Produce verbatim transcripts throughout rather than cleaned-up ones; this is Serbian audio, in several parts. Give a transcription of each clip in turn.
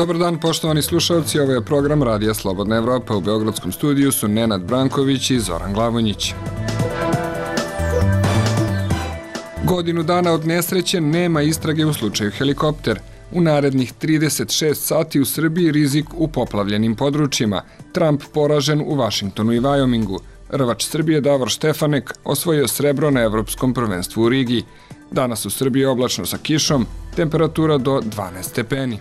Dobar dan, poštovani slušalci, ovo je program Radija Slobodna Evropa. U Beogradskom studiju su Nenad Branković i Zoran Glavonjić. Godinu dana od nesreće nema istrage u slučaju helikopter. U narednih trideset šest sati u Srbiji rizik u poplavljenim područjima. Trump poražen u Vašingtonu i Vajomingu. Rvač Srbije Davor Štefanek osvojio srebro na Evropskom prvenstvu u Rigi. Danas u Srbiji oblačno sa kišom, temperatura do dvanaest stepeni.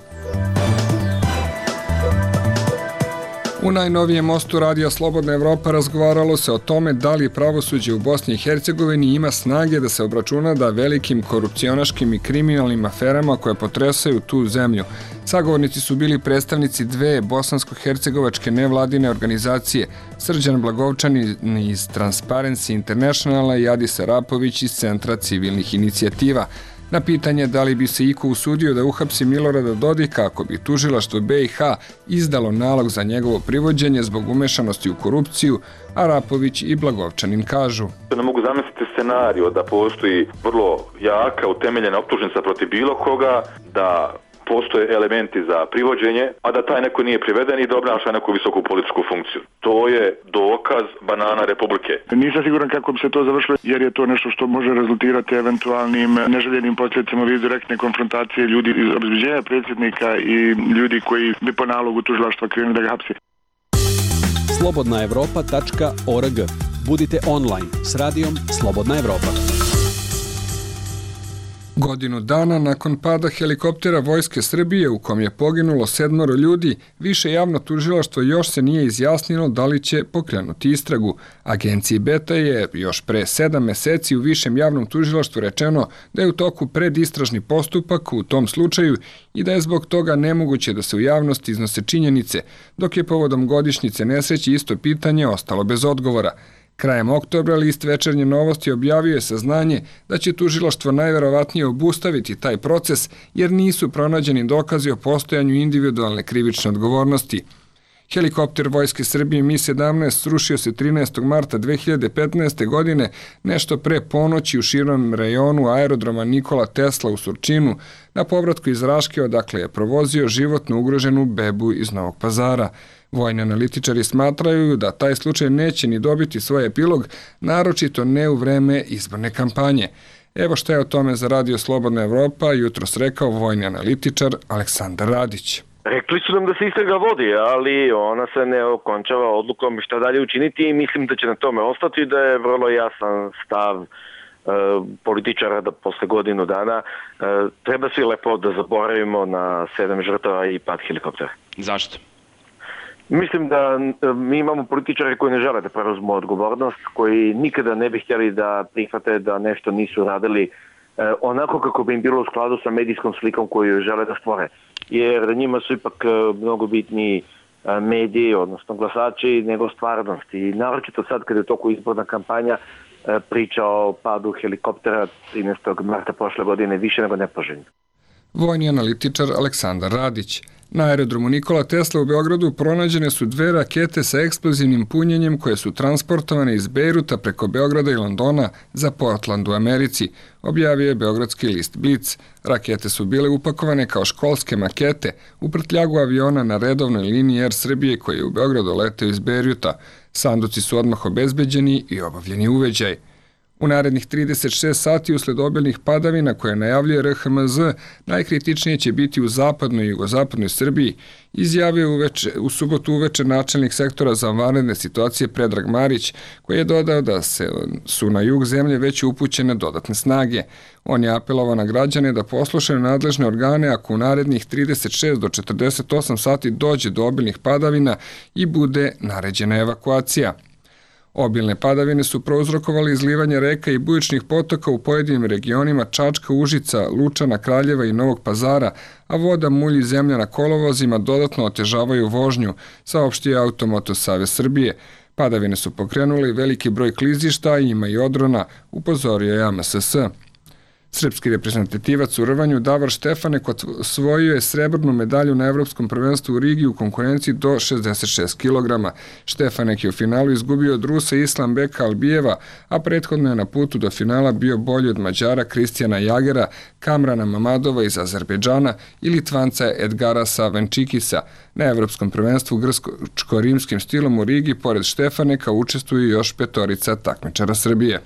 U najnovijem mostu Radija Slobodna Evropa razgovaralo se o tome da li pravosuđe u Bosni i Hercegovini ima snage da se obračuna da velikim korupcionaškim i kriminalnim aferama koje potresaju tu zemlju. Sagovornici su bili predstavnici dve bosansko-hercegovačke nevladine organizacije, Srđan Blagovčanin iz Transparency Internationala i Adis Arapović iz Centra civilnih inicijativa. Na pitanje da li bi se iko usudio da uhapsi Milorada Dodika ako bi tužilaštvo B i H izdalo nalog za njegovo privođenje zbog umešanosti u korupciju, Arapović i Blagovčanin kažu. Ne mogu zamisliti scenariju da postoji vrlo jaka, utemeljena optužnica protiv bilo koga, da postoje elementi za privođenje, a da taj neko nije priveden i da obnaša neku visoku političku funkciju. To je dokaz banana republike. Nisam siguran kako bi se to završilo, jer je to nešto što može rezultirati eventualnim neželjenim posljedicama vid direktne konfrontacije ljudi iz obezbeđenja predsjednika i ljudi koji bi po nalogu tužilaštva krenuli da ga hapsi. slobodna evropa tačka org. Budite online s radijom Slobodna Evropa. Godinu dana nakon pada helikoptera Vojske Srbije u kom je poginulo sedmoro ljudi, više javno tužilaštvo još se nije izjasnilo da li će pokrenuti istragu. Agenciji Beta je još pre sedam meseci u višem javnom tužilaštvu rečeno da je u toku predistražni postupak u tom slučaju i da je zbog toga nemoguće da se u javnosti iznose činjenice, dok je povodom godišnjice nesreće isto pitanje ostalo bez odgovora. Krajem oktobra list Večernje novosti objavio je saznanje da će tužilaštvo najverovatnije obustaviti taj proces jer nisu pronađeni dokazi o postojanju individualne krivične odgovornosti. Helikopter Vojske Srbije Mi sedamnaest srušio se trinaestog marta dve hiljade petnaeste. godine nešto pre ponoći u širom rejonu aerodroma Nikola Tesla u Surčinu na povratku iz Raške odakle je provozio životno ugroženu bebu iz Novog Pazara. Vojni analitičari smatraju da taj slučaj neće ni dobiti svoj epilog, naročito ne u vreme izborne kampanje. Evo što je o tome za Radio Slobodna Evropa jutros rekao vojni analitičar Aleksandar Radić. Rekli su nam da se istraga vodi, ali ona se ne okončava odlukom šta dalje učiniti i mislim da će na tome ostati, da je vrlo jasan stav e, političara da posle godinu dana e, treba svi lepo da zaboravimo na sedam žrtava i pad helikoptera. Zašto? Mislim da mi imamo političare koji ne žele da preuzmu odgovornost, koji nikada ne bi htjeli da prihvate da nešto nisu radili eh, onako kako bi im bilo u skladu sa medijskom slikom koju žele da stvore. Jer njima su ipak eh, mnogo bitniji eh, mediji, odnosno glasači, nego stvarnost. I naročito sad kada je u toku izborna kampanja eh, priča o padu helikoptera trinaestog marta prošle godine više nego nepoželjno. Vojni analitičar Aleksandar Radić. Na aerodromu Nikola Tesla u Beogradu pronađene su dve rakete sa eksplozivnim punjenjem koje su transportovane iz Bejruta preko Beograda i Londona za Portland u Americi, objavio je beogradski list Blic. Rakete su bile upakovane kao školske makete u prtljagu aviona na redovnoj liniji Air Srbije koji je u Beogradu leteo iz Bejruta. Sanduci su odmah obezbeđeni i obavljeni uveđaj. U narednih trideset šest sati usled obilnih padavina koje najavljuje R H M Z najkritičnije će biti u zapadnoj i jugozapadnoj Srbiji, izjavio uveče, u subotu uveče načelnik sektora za vanredne situacije Predrag Marić, koji je dodao da se, su na jug zemlje već upućene dodatne snage. On je apelovao na građane da poslušaju nadležne organe ako u narednih trideset šest do četrdeset osam sati dođe do obilnih padavina i bude naređena evakuacija. Obilne padavine su prouzrokovali izlivanje reka i bujičnih potoka u pojedinim regionima Čačka, Užica, Lučana, Kraljeva i Novog Pazara, a voda, mulj i zemlja na kolovozima dodatno otežavaju vožnju, saopštio Automoto Savez Srbije. Padavine su pokrenuli veliki broj klizišta, ima i odrona, upozorio je A M S S. Srpski reprezentativac u rvanju Davor Štefanek osvojio je srebrnu medalju na Evropskom prvenstvu u Rigi u konkurenciji do šezdeset šest kilograma. Štefanek je u finalu izgubio od Rusa Islambeka Albijeva, a prethodno je na putu do finala bio bolji od Mađara Kristijana Jagera, Kamrana Mamadova iz Azerbejdžana i Litvanca Edgarasa Venčikisa. Na Evropskom prvenstvu grčko-rimskim stilom u Rigi pored Štefaneka učestvuju još petorica takmičara Srbije.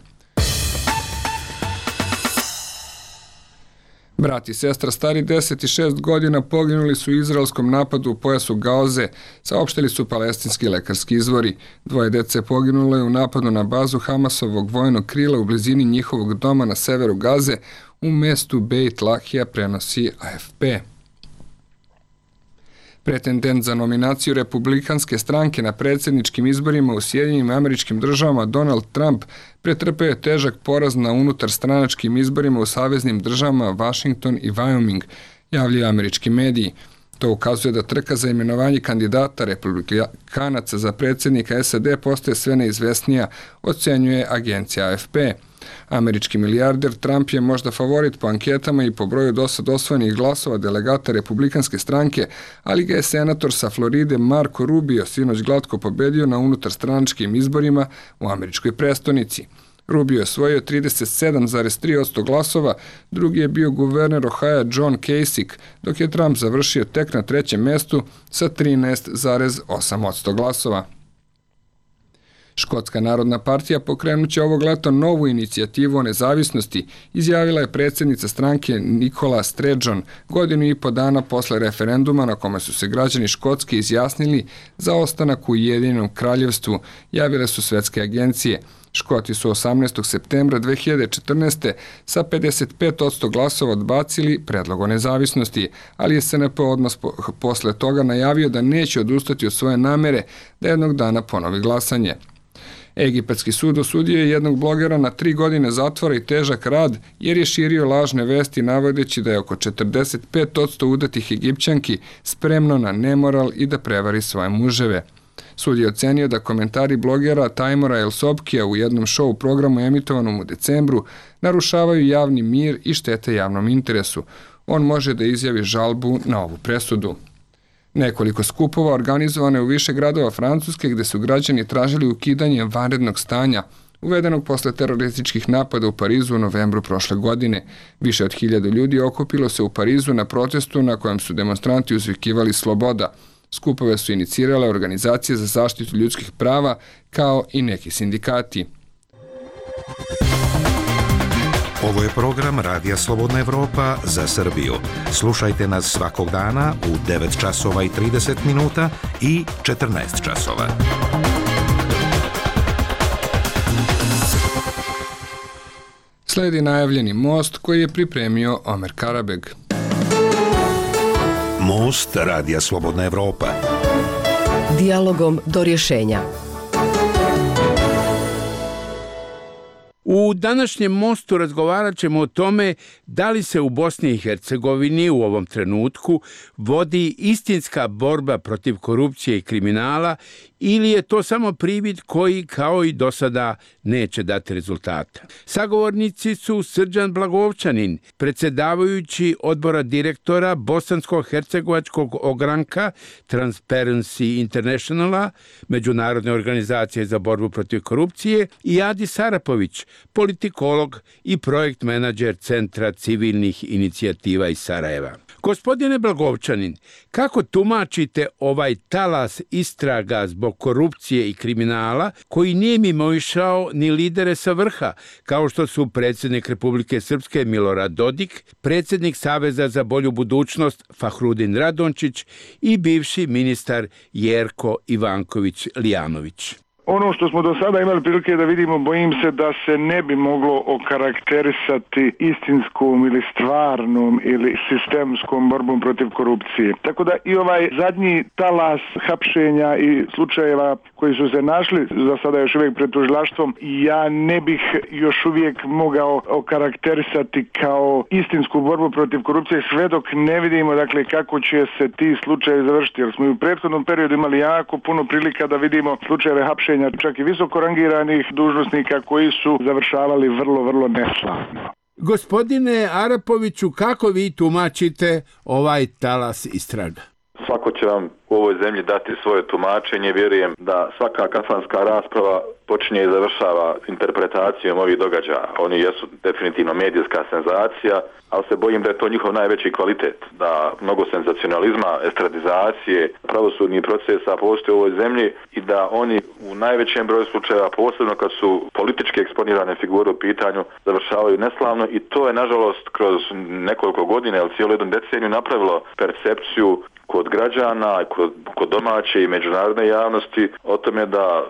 Brat i sestra stari deset i šest godina poginuli su u izraelskom napadu u pojasu Gaze, saopštili su palestinski lekarski izvori. Dvoje dece poginulo je u napadu na bazu Hamasovog vojnog krila u blizini njihovog doma na severu Gaze u mestu Beit Lahija, prenosi A F P. Pretendent za nominaciju republikanske stranke na predsjedničkim izborima u Sjedinjenim Američkim Državama Donald Trump pretrpeo je težak poraz na unutarstranačkim izborima u saveznim državama Washington i Wyoming, javljaju američki mediji. To ukazuje da trka za imenovanje kandidata republikanaca za predsjednika S A D postaje sve neizvesnija, ocenjuje agencija A F P. Američki milijarder Trump je možda favorit po anketama i po broju dosad osvojenih glasova delegata republikanske stranke, ali ga je senator sa Floride Marco Rubio sinoć glatko pobedio na unutarstranačkim izborima u američkoj prestonici. Rubio je osvojio trideset sedam zarez tri posto glasova, drugi je bio guverner Ohaja John Kasich, dok je Trump završio tek na trećem mestu sa trinaest zarez osam posto glasova. Škotska narodna partija pokrenut će ovog leta novu inicijativu o nezavisnosti, izjavila je predsjednica stranke Nicola Sturgeon godinu i po dana posle referenduma na kome su se građani Škotske izjasnili za ostanak u Ujedinjenom kraljevstvu, javile su svetske agencije. Škoti su osamnaestog septembra dve hiljade četrnaeste. sa pedeset pet posto glasova odbacili predlog o nezavisnosti, ali je S N P odmah posle toga najavio da neće odustati od svoje namere da jednog dana ponovi glasanje. Egipatski sud osudio je jednog blogera na tri godine zatvora i težak rad jer je širio lažne vesti navodeći da je oko četrdeset pet posto udatih Egipćanki spremno na nemoral i da prevari svoje muževe. Sud je ocenio da komentari blogera Tajmora El Sobkija u jednom show programu emitovanom u decembru narušavaju javni mir i štete javnom interesu. On može da izjavi žalbu na ovu presudu. Nekoliko skupova organizovano je u više gradova Francuske gde su građani tražili ukidanje vanrednog stanja, uvedenog posle terorističkih napada u Parizu u novembru prošle godine. Više od hiljadu ljudi okupilo se u Parizu na protestu na kojem su demonstranti uzvikivali sloboda. Skupove su inicirale organizacije za zaštitu ljudskih prava kao i neki sindikati. Ovo je program Radija Slobodna Evropa za Srbiju. Slušajte nas svakog dana u devet časova i trideset minuta i četrnaest časova. Sledi najavljeni most koji je pripremio Omer Karabeg. Most Radija Slobodna Evropa. Dijalogom do rješenja. U današnjem mostu razgovarat ćemo o tome da li se u Bosni i Hercegovini u ovom trenutku vodi istinska borba protiv korupcije i kriminala ili je to samo privid koji, kao i do sada, neće dati rezultata. Sagovornici su Srđan Blagovčanin, predsjedavajući odbora direktora bosansko-hercegovačkog ogranka Transparency Internationala, Međunarodne organizacije za borbu protiv korupcije, i Adi Sarapović, politikolog i projekt menadžer Centra civilnih inicijativa iz Sarajeva. Gospodine Blagovčanin, kako tumačite ovaj talas istraga zbog korupcije i kriminala koji nije mimoišao ni lidere sa vrha, kao što su predsjednik Republike Srpske Milorad Dodik, predsjednik Saveza za bolju budućnost Fahrudin Radončić i bivši ministar Jerko Ivanković Lijanović? Ono što smo do sada imali prilike da vidimo, bojim se da se ne bi moglo okarakterisati istinskom ili stvarnom ili sistemskom borbom protiv korupcije. Tako da i ovaj zadnji talas hapšenja i slučajeva koji su se našli za sada još uvijek pred tužilaštvom, ja ne bih još uvijek mogao okarakterisati kao istinsku borbu protiv korupcije sve dok ne vidimo dakle kako će se ti slučajevi završiti. Jer smo i u prethodnom periodu imali jako puno prilika da vidimo slučajeve hapšenja čak i visoko rangiranih dužnosnika koji su završavali vrlo, vrlo neslavno. Gospodine Arapoviću, kako vi tumačite ovaj talas istraga? Svako će vam u ovoj zemlji dati svoje tumačenje. Vjerujem da svaka kafanska rasprava počinje i završava interpretacijom ovih događaja. Oni jesu definitivno medijska senzacija, ali se bojim da je to njihov najveći kvalitet. Da mnogo senzacionalizma, estradizacije, pravosudnih procesa postoje u ovoj zemlji i da oni u najvećem broju slučajeva, posebno kad su politički eksponirane figure u pitanju, završavaju neslavno i to je nažalost kroz nekoliko godina ili cijelu jednu deceniju napravilo percepciju kod građana, kod, kod domaće i međunarodne javnosti o tome da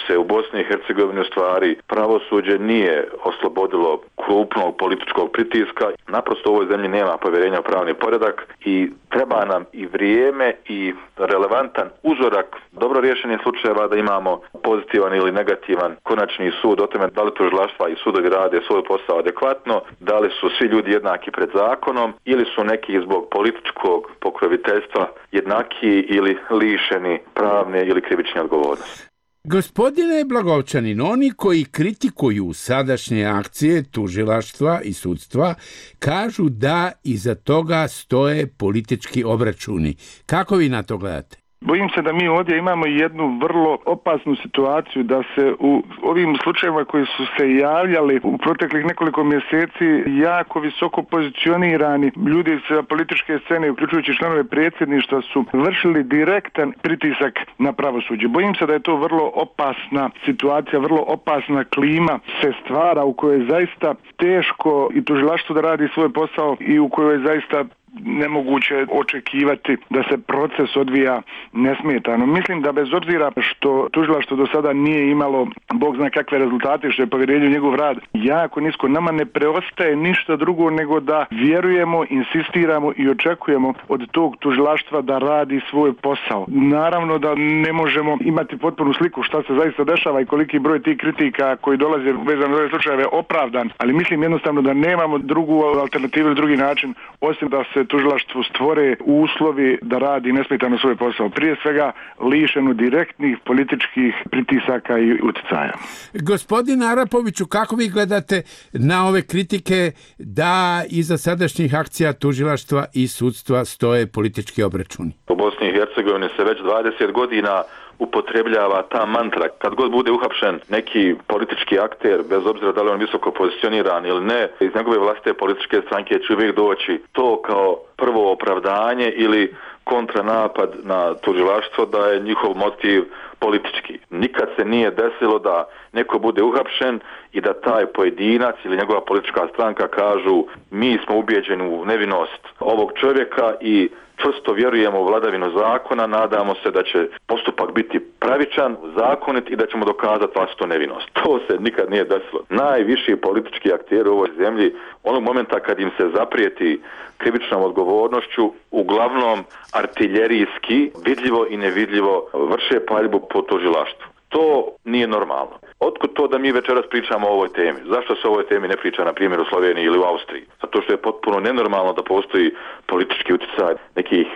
se u Bosni i Hercegovini u stvari pravosuđe nije oslobodilo krupnog političkog pritiska. Naprosto u ovoj zemlji nema povjerenja u pravni poredak i treba nam i vrijeme i relevantan uzorak dobro rješenih slučajeva da imamo pozitivan ili negativan konačni sud o tome da li tužilaštva i sudovi rade svoj posao adekvatno, da li su svi ljudi jednaki pred zakonom ili su neki zbog političkog pokroviteljstva jednaki ili lišeni pravne ili krivične odgovornosti. Gospodine Blagovčanin, oni koji kritikuju sadašnje akcije tužilaštva i sudstva kažu da iza toga stoje politički obračuni. Kako vi na to gledate? Bojim se da mi ovdje imamo jednu vrlo opasnu situaciju da se u ovim slučajevima koji su se javljali u proteklih nekoliko mjeseci jako visoko pozicionirani ljudi sa političke scene, uključujući članove predsjedništva, su vršili direktan pritisak na pravosuđe. Bojim se da je to vrlo opasna situacija, vrlo opasna klima se stvara u kojoj je zaista teško i tužilaštvo da radi svoj posao i u kojoj je zaista nemoguće očekivati da se proces odvija nesmetano. Mislim da bez obzira što tužilaštvo do sada nije imalo bog zna kakve rezultate, što je povjerenje u njegov rad jako nisko, nama ne preostaje ništa drugo nego da vjerujemo, insistiramo i očekujemo od tog tužilaštva da radi svoj posao. Naravno da ne možemo imati potpunu sliku šta se zaista dešava i koliki broj tih kritika koji dolaze vezano za ove slučajeve opravdan, ali mislim jednostavno da nemamo drugu alternativu ili drugi način osim da se tužilaštvu stvore uslovi da radi nesmetano svoj posao. Prije svega lišenu direktnih političkih pritisaka i utjecaja. Gospodin Arapoviću, kako vi gledate na ove kritike da iza sadašnjih akcija tužilaštva i sudstva stoje politički obračuni? U Bosni i Hercegovini se već dvadeset godina upotrebljava ta mantra. Kad god bude uhapšen neki politički akter, bez obzira da li on visoko pozicioniran ili ne, iz njegove vlastite političke stranke će uvijek doći to kao prvo opravdanje ili kontranapad na tužilaštvo da je njihov motiv politički. Nikad se nije desilo da neko bude uhapšen i da taj pojedinac ili njegova politička stranka kažu mi smo ubijeđeni u nevinost ovog čovjeka i čvrsto vjerujemo u vladavinu zakona, nadamo se da će postupak biti pravičan, zakonit i da ćemo dokazati vlastitu nevinost. To se nikad nije desilo. Najviši politički akteri u ovoj zemlji, onog momenta kad im se zaprijeti krivičnom odgovornošću, uglavnom artiljerijski, vidljivo i nevidljivo vrše paljbu po tužilaštvu. To nije normalno. Otkud to da mi večeras pričamo o ovoj temi? Zašto se o ovoj temi ne priča, na primjer, u Sloveniji ili u Austriji? Zato što je potpuno nenormalno da postoji politički utjecaj nekih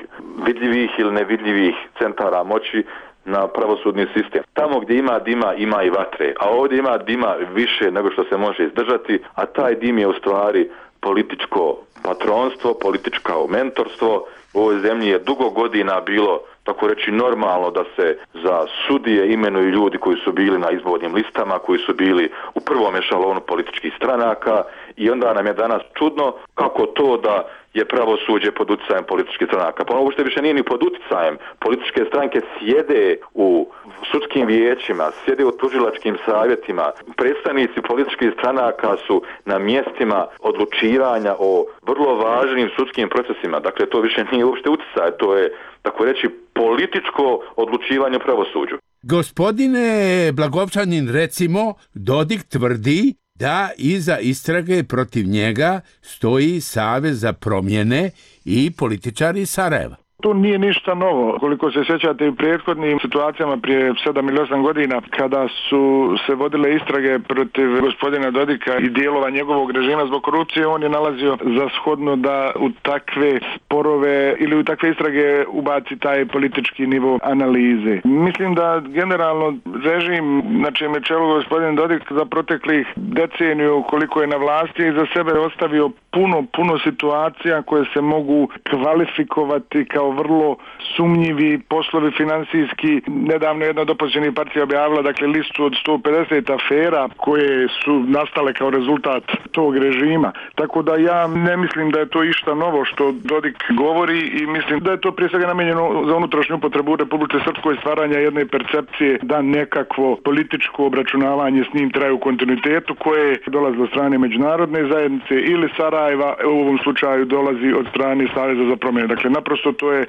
vidljivih ili nevidljivih centara moći na pravosudni sistem. Tamo gdje ima dima, ima i vatre. A ovdje ima dima više nego što se može izdržati, a taj dim je u stvari političko patronstvo, političko mentorstvo. U ovoj zemlji je dugo godina bilo, tako reći, normalno da se za sudije imenuju ljudi koji su bili na izbornim listama, koji su bili u prvom ešalonu političkih stranaka i onda nam je danas čudno kako to da je pravosuđe pod utjecajem političkih stranaka. Pa ovo što više nije ni pod utjecajem. Političke stranke sjede u sudskim vijećima, sjede u tužilačkim savjetima. Predstavnici političkih stranaka su na mjestima odlučivanja o vrlo važnim sudskim procesima. Dakle, to više nije uopšte utjecaj, to je, tako reći, političko odlučivanje u pravosuđu. Gospodine Blagovčanin, recimo, Dodik tvrdi da iza istrage protiv njega stoji Savez za promjene i političari iz Sarajeva. To nije ništa novo. Koliko se sjećate u prethodnim situacijama prije sedam ili osam godina kada su se vodile istrage protiv gospodina Dodika i dijelova njegovog režima zbog korupcije, on je nalazio za shodno da u takve sporove ili u takve istrage ubaci taj politički nivo analize. Mislim da generalno režim na čijem je čelu gospodin Dodik za proteklih deceniju koliko je na vlasti za sebe ostavio puno, puno situacija koje se mogu kvalifikovati kao vrlo sumnjivi poslovi finansijski. Nedavno jedna od opozicionih partija objavila dakle listu od sto pedeset afera koje su nastale kao rezultat tog režima. Tako da ja ne mislim da je to išta novo što Dodik govori i mislim da je to prije svega namijenjeno za unutrašnju upotrebu u Republike Srpskoj, stvaranja jedne percepcije da nekakvo političko obračunavanje s njim traje u kontinuitetu koje dolazi od strane međunarodne zajednice ili Sarajeva, u ovom slučaju dolazi od strane Saveza za promjene. Dakle, naprosto to je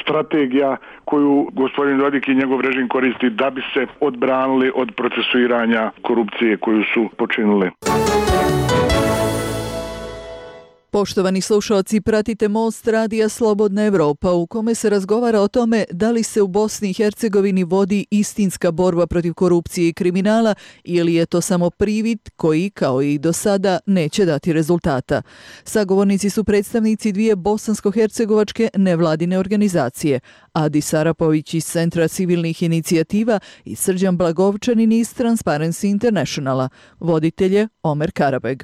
strategija koju gospodin Dodik i njegov režim koristi da bi se odbranili od procesuiranja korupcije koju su počinili. Poštovani slušalci, pratite Most radija Slobodna Evropa u kome se razgovara o tome da li se u Bosni i Hercegovini vodi istinska borba protiv korupcije i kriminala ili je to samo privid koji, kao i do sada, neće dati rezultata. Sagovornici su predstavnici dvije bosansko-hercegovačke nevladine organizacije, Adi Sarapović iz Centra civilnih inicijativa i Srđan Blagovčanin iz Transparency Internationala. Voditelj je Omer Karabeg.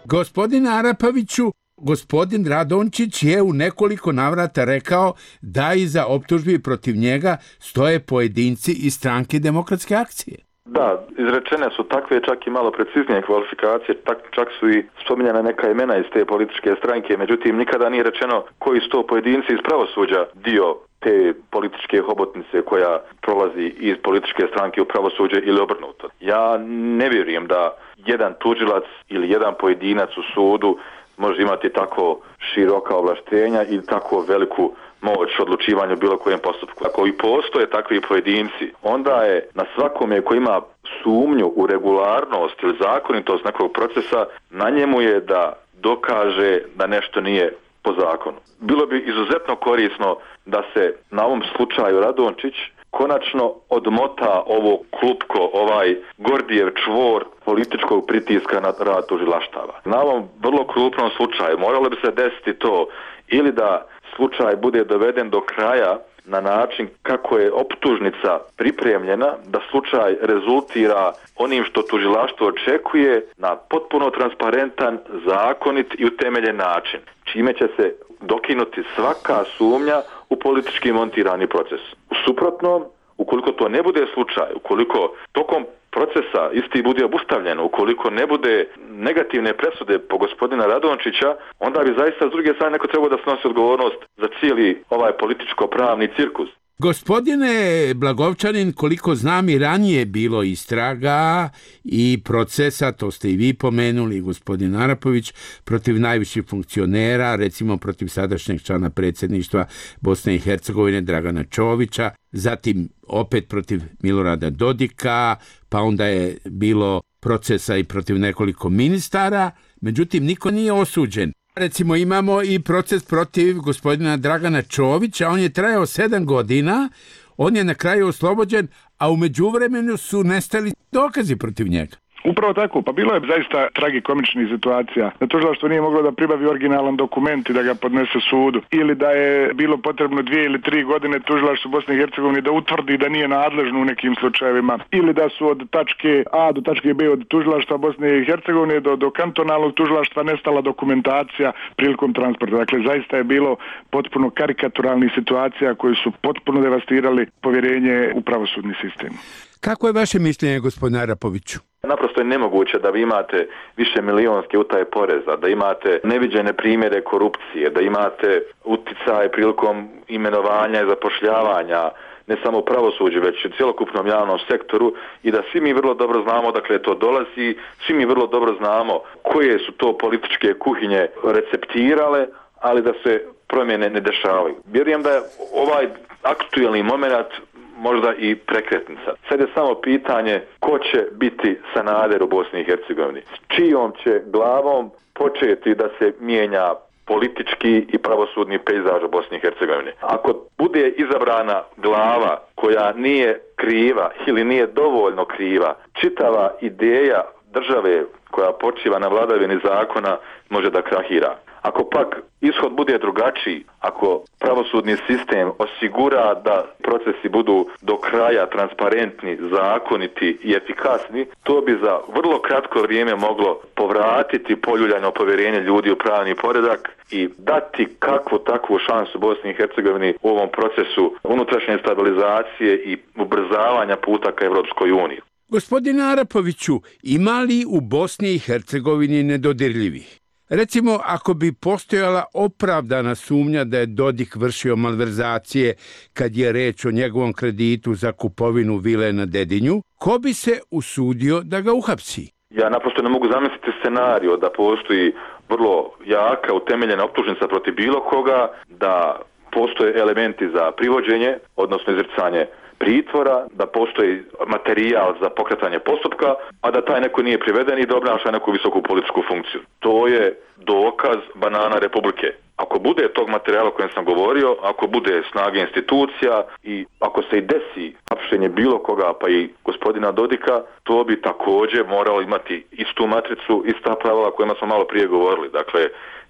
Gospodin Arapoviću, gospodin Radončić je u nekoliko navrata rekao da iza optužbi protiv njega stoje pojedinci iz Stranke demokratske akcije. Da, izrečene su takve čak i malo preciznije kvalifikacije, tak, čak su i spominjane neka imena iz te političke stranke, međutim nikada nije rečeno koji su to pojedinci iz pravosuđa dio te političke hobotnice koja prolazi iz političke stranke u pravosuđe ili obrnuto. Ja ne vjerujem da jedan tužilac ili jedan pojedinac u sudu može imati tako široka ovlaštenja i tako veliku moć odlučivanja u bilo kojem postupku. Ako i postoje takvi pojedinci, onda je na svakome koji ima sumnju u regularnost ili zakonitost nekog procesa, na njemu je da dokaže da nešto nije po zakonu. Bilo bi izuzetno korisno da se na ovom slučaju Radončić konačno odmota ovo klupko, ovaj Gordijev čvor političkog pritiska na rad tužilaštava. Na ovom vrlo krupnom slučaju moralo bi se desiti to ili da slučaj bude doveden do kraja na način kako je optužnica pripremljena, da slučaj rezultira onim što tužilaštvo očekuje na potpuno transparentan, zakonit i utemeljen način, čime će se dokinuti svaka sumnja u politički montirani proces. U suprotnom, ukoliko to ne bude slučaj, ukoliko tokom procesa isti bude obustavljen, ukoliko ne bude negativne presude po gospodina Radončića, onda bi zaista s druge strane neko trebao da snosi odgovornost za cijeli ovaj političko-pravni cirkus. Gospodine Blagovčanin, koliko znam i ranije bilo istraga i procesa, to ste i vi pomenuli, gospodin Arapović, protiv najviših funkcionera, recimo protiv sadašnjeg člana predsjedništva Bosne i Hercegovine Dragana Čovića, zatim opet protiv Milorada Dodika, pa onda je bilo procesa i protiv nekoliko ministara, međutim niko nije osuđen. Recimo imamo i proces protiv gospodina Dragana Čovića, on je trajao sedam godina, on je na kraju oslobođen, a u međuvremenu su nestali dokazi protiv njega. Upravo tako, pa bilo je zaista tragikomičnih situacija. Da tužilaštvo nije moglo da pribavi originalan dokument i da ga podnese sudu. Ili da je bilo potrebno dvije ili tri godine tužilaštvo Bosne i Hercegovine da utvrdi da nije nadležno u nekim slučajevima. Ili da su od tačke A do tačke B od tužilaštva Bosne i Hercegovine do, do kantonalnog tužilaštva nestala dokumentacija prilikom transporta. Dakle, zaista je bilo potpuno karikaturalnih situacija koje su potpuno devastirali povjerenje u pravosudni sistem. Kako je vaše mišljenje, gospodine Arapoviću? Naprosto je nemoguće da vi imate više milijonske utaje poreza, da imate neviđene primjere korupcije, da imate uticaj prilikom imenovanja i zapošljavanja, ne samo u pravosuđu, već u cjelokupnom javnom sektoru i da svi mi vrlo dobro znamo dakle to dolazi, svi mi vrlo dobro znamo koje su to političke kuhinje receptirale, ali da se promjene ne dešavaju. Vjerujem da je ovaj aktuelni moment možda i prekretnica. Sad je samo pitanje ko će biti Sanader u Bosni i Hercegovini. S čijom će glavom početi da se mijenja politički i pravosudni pejzaž u Bosni i Hercegovini. Ako bude izabrana glava koja nije kriva ili nije dovoljno kriva, čitava ideja države koja počiva na vladavini zakona može da krahira. Ako pak ishod bude drugačiji, ako pravosudni sistem osigura da procesi budu do kraja transparentni, zakoniti i efikasni, to bi za vrlo kratko vrijeme moglo povratiti poljuljano povjerenje ljudi u pravni poredak i dati kakvu takvu šansu Bosni i Hercegovini u ovom procesu unutrašnje stabilizacije i ubrzavanja puta ka Evropskoj uniji. Gospodine Arapoviću, ima li u Bosni i Hercegovini nedodirljivih? Recimo, ako bi postojala opravdana sumnja da je Dodik vršio malverzacije kad je reč o njegovom kreditu za kupovinu vile na Dedinju, ko bi se usudio da ga uhapsi? Ja naprosto ne mogu zamisliti scenariju da postoji vrlo jaka, utemeljena optužnica protiv bilo koga, da postoje elementi za privođenje, odnosno izricanje pritvora, da postoji materijal za pokretanje postupka, a da taj neko nije priveden i da obnaša neku visoku političku funkciju. To je dokaz banana Republike. Ako bude tog materijala o kojem sam govorio, ako bude snage institucija i ako se i desi hapšenje bilo koga, pa i gospodina Dodika, to bi također moralo imati istu matricu, ista pravila o kojima smo malo prije govorili. Dakle,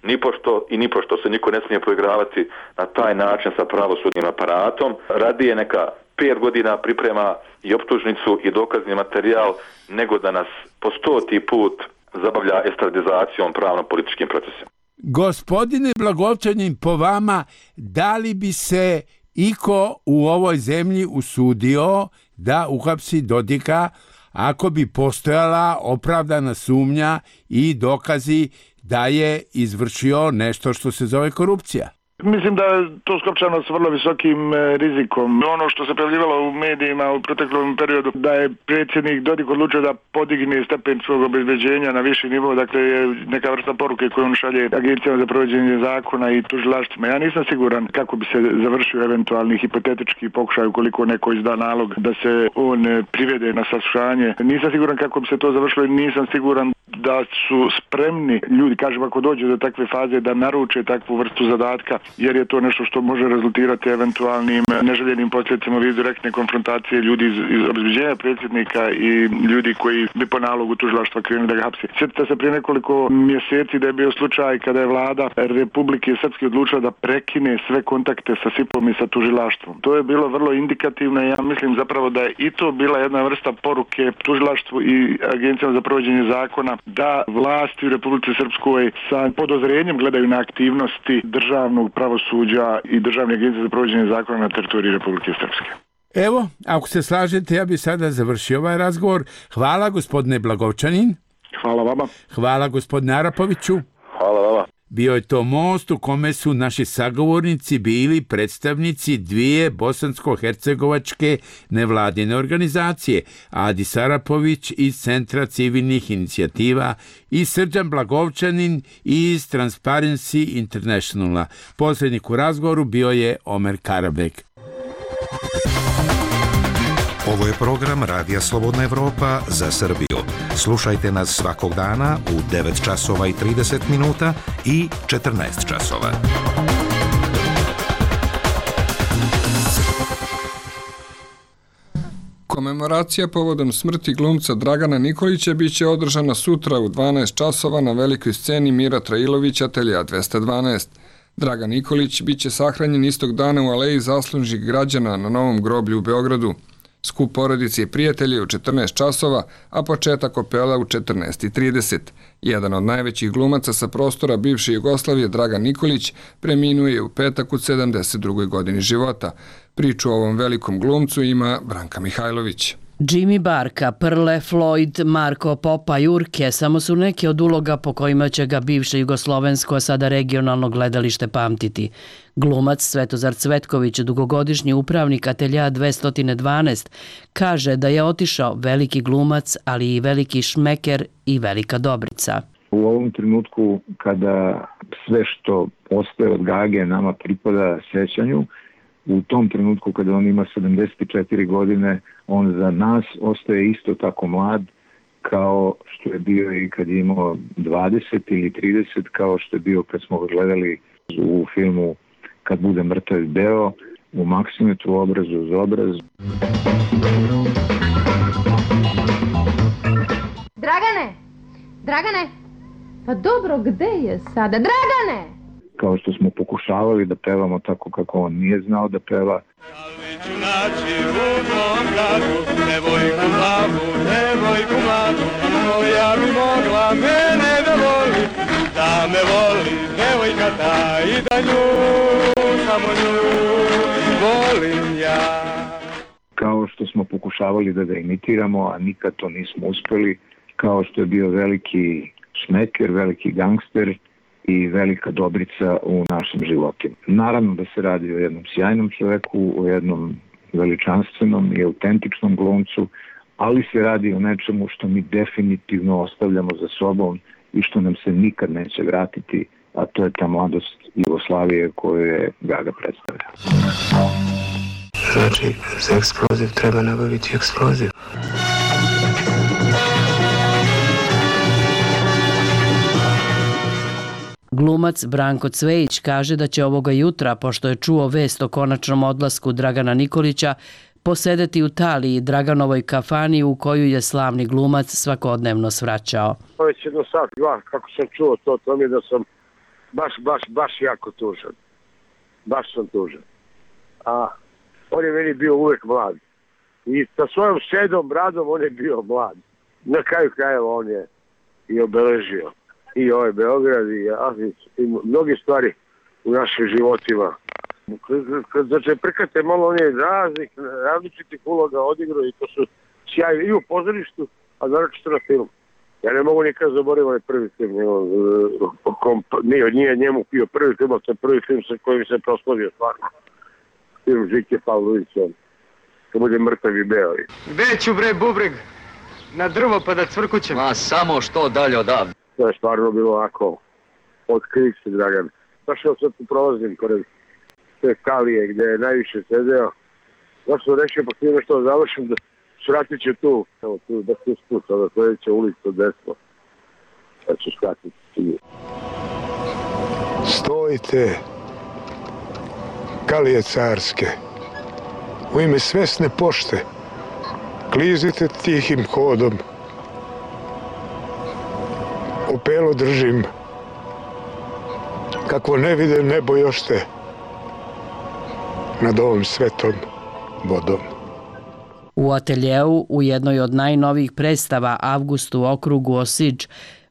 nipošto i nipošto se niko ne smije poigravati na taj način sa pravosudnim aparatom. Radije neka pet godina priprema i optužnicu i dokazni materijal nego da nas po stoti put zabavlja estradizacijom pravno-političkim procesima. Gospodine Blagovčanin, po vama, da li bi se iko u ovoj zemlji usudio da uhapsi Dodika ako bi postojala opravdana sumnja i dokazi da je izvršio nešto što se zove korupcija? Mislim da je to skopčano s vrlo visokim rizikom. Ono što se pojavljivalo u medijima u proteklom periodu, da je predsjednik Dodik odlučio da podigne stepen svog obezbeđenja na viši nivo, dakle je neka vrsta poruke koju on šalje agencijama za provođenje zakona i tužilaštvima. Ja nisam siguran kako bi se završio eventualni hipotetički pokušaj ukoliko neko izda nalog da se on privede na saslušanje. Nisam siguran kako bi se to završilo i nisam siguran da su spremni ljudi, kažem, ako dođe do takve faze da naruče takvu vrstu zadatka, jer je to nešto što može rezultirati eventualnim neželjenim posljedicama vid direktne konfrontacije ljudi iz, iz obezbeđenja predsjednika i ljudi koji bi po nalogu tužilaštva krenuli da ga hapsi. Sjetite se prije nekoliko mjeseci da je bio slučaj kada je vlada Republike Srpske odlučila da prekine sve kontakte sa S I P-om i sa tužilaštvom. To je bilo vrlo indikativno i ja mislim zapravo da je i to bila jedna vrsta poruke tužilaštvu i agencijama za provođenje zakona da vlasti u Republici Srpskoj sa podozrenjem gledaju na aktivnosti državnog pravosuđa i državne agencije za provođenje zakona na teritoriji Republike Srpske. Evo, ako se slažete, ja bih sada završio ovaj razgovor. Hvala gospodine Blagovčanin. Hvala vama. Hvala gospodine Arapoviću. Hvala vama. Bio je to most u kome su naši sagovornici bili predstavnici dvije bosansko-hercegovačke nevladine organizacije, Adis Arapović iz Centra civilnih inicijativa i Srđan Blagovčanin iz Transparency Internationala. Posrednik u razgovoru bio je Omer Karabek. Ovo je program Radija Slobodna Evropa za Srbiju. Slušajte nas svakog dana u devet časova i trideset minuta i četrnaest časova. Komemoracija povodom smrti glumca Dragana Nikolića biće održana sutra u dvanaest časova na velikoj sceni Mira Trailović, atelja dvesta dvanaest. Dragan Nikolić biće sahranjen istog dana u aleji zaslužnih građana na Novom groblju u Beogradu. Skup porodice i prijatelji u četrnaest časova, a početak opela u četrnaest i trideset. Jedan od najvećih glumaca sa prostora bivše Jugoslavije, Dragan Nikolić, preminuo je u petak u sedamdeset drugoj godini života. Priču o ovom velikom glumcu ima Branka Mihajlović. Jimmy Barka, Prle, Floyd, Marko, Popa, Jurke samo su neke od uloga po kojima će ga bivše jugoslovensko, a sada regionalno gledalište pamtiti. Glumac Svetozar Cvetković, dugogodišnji upravnik atelja dvesta dvanaest, kaže da je otišao veliki glumac, ali i veliki šmeker i velika dobrica. U ovom trenutku kada sve što ostaje od Gage nama pripada sećanju, u tom trenutku kada on ima sedamdeset četiri godine, on za nas ostaje isto tako mlad kao što je bio i kad je imao dvadeset ili trideset, kao što je bio kad smo ga gledali u filmu Kad bude mrtav beo, u Maksimetu obrazu uz obraz. Dragane! Dragane! Pa dobro, gde je sada? Dragane! Kao što smo pokušavali da pevamo tako kako on nije znao da peva. Devojku mladu, devojku mladu, koja bi mogla mene da voli, da me voli devojka ta i da nju, samo nju volim ja. Kao što smo pokušavali da ga imitiramo, a nikad to nismo uspeli, kao što je bio veliki šmeker, veliki gangster i velika dobrica u našim životima. Naravno da se radi o jednom sjajnom čoveku, o jednom veličanstvenom i autentičnom glumcu, ali se radi o nečemu što mi definitivno ostavljamo za sobom i što nam se nikad neće vratiti, a to je ta mladost Jugoslavije koju je Gaga predstavlja. Znači, za eksploziv treba nabaviti eksploziv. Glumac Branko Cvejić kaže da će ovoga jutra, pošto je čuo vest o konačnom odlasku Dragana Nikolića, posedeti u Taliji, Draganovoj kafani u koju je slavni glumac svakodnevno svraćao. Već jedno sat, dva, kako sam čuo to, to mi je da sam baš, baš, baš jako tužan. Baš sam tužan. A on je meni bio uvek mlad. I sa svojom sedom bradom on je bio mlad. Na kraju krajeva on je i obeležio i ovaj Beograd i Azic i mnoge stvari u našim životima. Kad znači prkate malo on je raznih, različitih uloga odigrao i to su sjajni i u pozorištu, a naročito na film. Ja ne mogu nikad zaboraviti ovaj prvi film, nije, nije njemu bio prvi film, ali to je prvi film sa kojim se proslavio stvarno. Film Žike Pavlovića, kad bude mrtav i beo. Gde ću bre bubreg? Na drvo pa da cvrkućem. Ma samo što dalje odavde. To je stvarno bilo ovako otkrik se, Dragan. Znaš što sad tu prolazim pored te Kalije gde je najviše sedeo. Znaš što rešio, pa htio nešto da završim, da skratit će tu, evo tu, da tu spuca, da sledeća ulica desno. Da ću skratiti ti. Stojite, Kalije carske, u ime svesne pošte, klizite tihim hodom. Opelo držim, kakvo ne vide nebo još te nad ovom svetom vodom. U ateljeu, u jednoj od najnovijih predstava Avgust u okrugu Osiđ,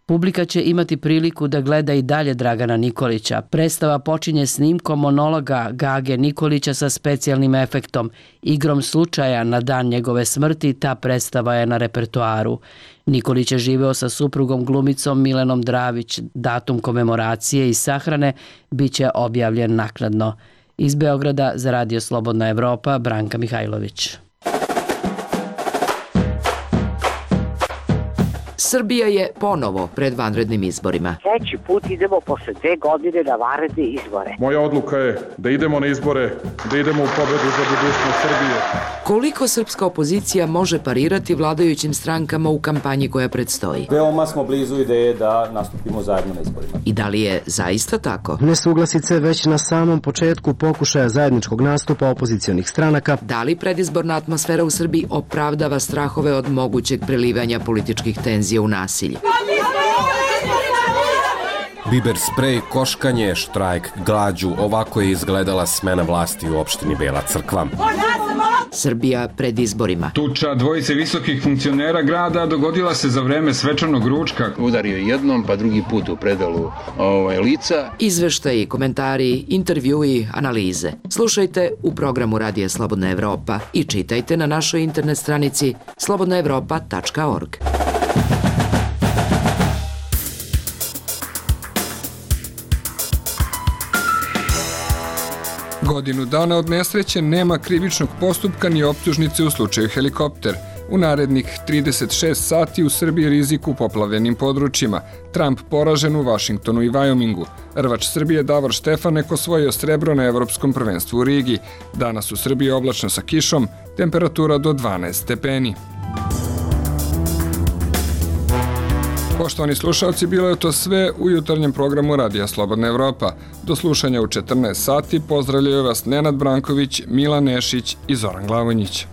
publika će imati priliku da gleda i dalje Dragana Nikolića. Predstava počinje snimkom monologa Gage Nikolića sa specijalnim efektom. Igrom slučaja na dan njegove smrti ta predstava je na repertoaru. Nikolić je živeo sa suprugom glumicom Milenom Dravić. Datum komemoracije i sahrane bit će objavljen naknadno. Iz Beograda za Radio Slobodna Evropa, Branka Mihajlović. Srbija je ponovo pred vanrednim izborima. Treći put idemo posle dve godine na vanredne izbore. Moja odluka je da idemo na izbore, da idemo u pobedu za budućnost Srbije. Koliko srpska opozicija može parirati vladajućim strankama u kampanji koja predstoji? Veoma smo blizu ideje da nastupimo zajedno na izborima. I da li je zaista tako? Nesuglasice već na samom početku pokušaja zajedničkog nastupa opozicionih stranaka. Da li predizborna atmosfera u Srbiji opravdava strahove od mogućeg prelivanja političkih tenzija u nasilje? Biber sprej, koškanje, štrajk, glađu, ovako je izgledala smena vlasti u opštini Bela Crkva. Srbija pred izborima. Tuča dvojice visokih funkcionera grada dogodila se za vreme svečanog ručka. Udario jednom, pa drugi put u predalu ovaj, lica. Izveštaji, komentari, intervjui, analize. Slušajte u programu Radija Slobodna Evropa i čitajte na našoj internet stranici slobodna evropa tačka org. Godinu dana od nesreće nema krivičnog postupka ni optužnice u slučaju helikopter. U narednih trideset šest sati u Srbiji rizik u poplavljenim područjima. Trump poražen u Vašingtonu i Vajomingu. Rvač Srbije Davor Štefanek osvojio srebro na Evropskom prvenstvu u Rigi. Danas u Srbiji oblačno sa kišom, temperatura do dvanaest stepeni. Poštovani slušalci, bilo je to sve u jutarnjem programu Radija Slobodna Evropa. Do slušanja u četrnaest sati pozdravljaju vas Nenad Branković, Milan Nešić i Zoran Glavonjić.